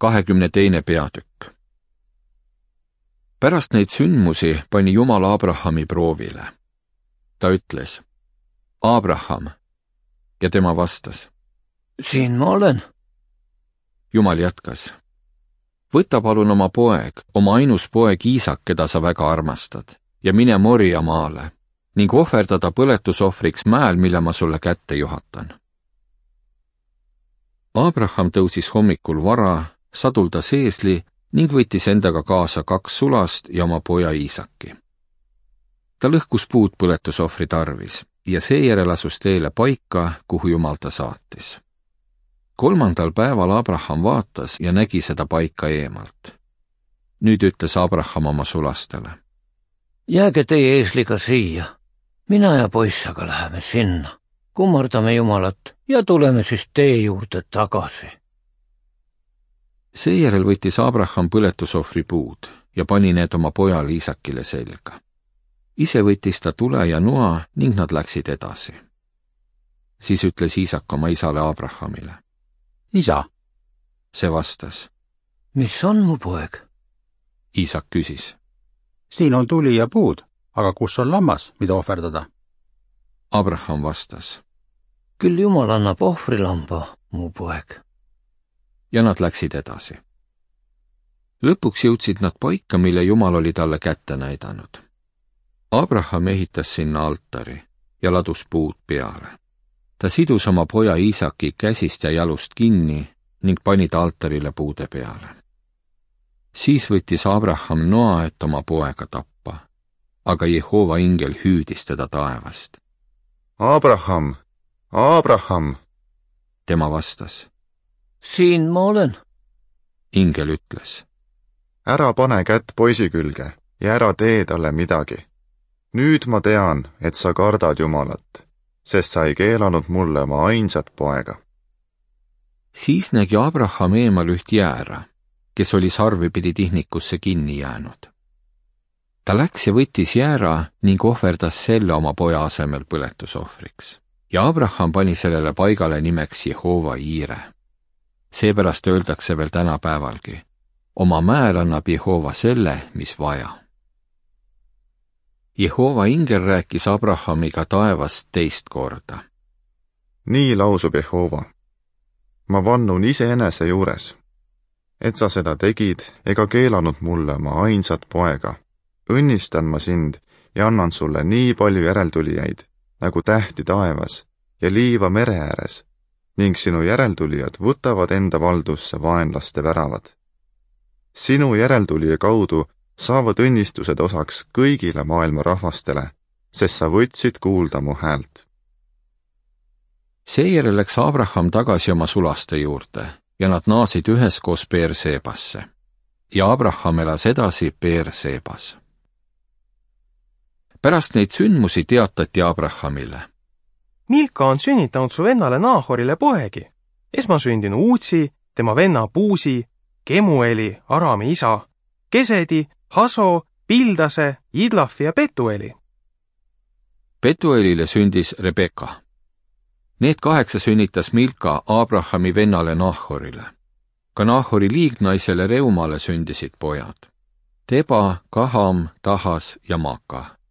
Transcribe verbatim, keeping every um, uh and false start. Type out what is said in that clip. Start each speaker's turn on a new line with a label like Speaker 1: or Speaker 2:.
Speaker 1: kahekümne teine peatükk. Pärast neid sündmusi pani Jumal Abrahami proovile. Ta ütles, Abraham, ja tema vastas,
Speaker 2: siin ma olen.
Speaker 1: Jumal jätkas, võta palun oma poeg, oma ainus poeg Iisak, keda sa väga armastad, ja mine Moria maale ning ohverdada põletusohvriks mäel, mille ma sulle kätte juhatan. Abraham tõusis hommikul vara, saduldas eesli ning võttis endaga kaasa kaks sulast ja oma poja Iisaki. Ta lõhkus puud põletusohvri tarvis ja seejärel asus teele paika, kuhu Jumal ta saatis. Kolmandal päeval Abraham vaatas ja nägi seda paika eemalt. Nüüd ütles Abraham oma sulastele,
Speaker 2: jääge teie eesliga siia, mina ja poissaga läheme sinna, kummardame Jumalat ja tuleme siis tee juurde tagasi.
Speaker 1: Seejärel võttis Abraham põletusohvri puud ja pani need oma pojale Iisakile selga. Ise võttis ta tule ja noa ning nad läksid edasi. Siis ütles Iisak oma isale Abrahamile,
Speaker 3: isa.
Speaker 1: See vastas,
Speaker 2: mis on mu poeg?
Speaker 1: Iisak küsis,
Speaker 3: siin on tuli ja puud, aga kus on lammas, mida ohverdada?
Speaker 1: Abraham vastas,
Speaker 2: küll Jumal annab ohvrilamba, mu poeg.
Speaker 1: Ja nad läksid edasi. Lõpuks jõudsid nad paika, mille Jumal oli talle kätte näidanud. Abraham ehitas sinna altari ja ladus puud peale. Ta sidus oma poja Iisaki käsist ja jalust kinni ning pani ta altarile puude peale. Siis võttis Abraham noa, et oma poega tappa, aga Jehova ingel hüüdis teda taevast.
Speaker 4: Abraham, Abraham!
Speaker 1: Tema vastas,
Speaker 2: siin ma olen.
Speaker 1: Ingel ütles,
Speaker 4: ära pane kätt poisi külge ja ära tee talle midagi. Nüüd ma tean, et sa kardad Jumalat, sest sa ei keelanud mulle oma ainsat poega.
Speaker 1: Siis nägi Abraham eemal üht jäära, kes oli sarvipidi tihnikusse kinni jäänud. Ta läks ja võttis jäära ning ohverdas selle oma poja asemel põletusohvriks. Ja Abraham pani sellele paigale nimeks Jehova Iire. Seepärast öeldakse veel tänapäevalgi, oma mäel annab Jehova selle, mis vaja. Jehova ingel rääkis Abrahamiga taevast teist korda.
Speaker 4: Nii lausub Jehova. Ma vannun iseenese juures, et sa seda tegid ega keelanud mulle oma ainsat poega. Õnnistan ma sind ja annan sulle nii palju järeltulijaid, nagu tähti taevas ja liiva mere ääres, ning sinu järeltulijad võtavad enda valdusse vaenlaste väravad. Sinu järeltulija kaudu saavad õnnistused osaks kõigile maailma rahvastele, sest sa võtsid kuulda mu häält.
Speaker 1: Seejärel läks Abraham tagasi oma sulaste juurde ja nad naasid üheskoos Beersebasse. Ja Abraham elas edasi Beersebas. Pärast neid sündmusi teatati Abrahamile.
Speaker 5: Milka on sünnitanud su vennale Naahorile poegi, esmasündinu Uutsi, tema venna Puusi, Kemueli, Arami isa, Kesedi, Haso, Pildase, Idlafi ja Petueli.
Speaker 1: Petuelile sündis Rebeka. Need kaheksa sünnitas Milka Abrahami vennale Naahorile. Ka Naahori liignaisele Reumale sündisid pojad. Teba, Kaham, Tahas ja Maaka.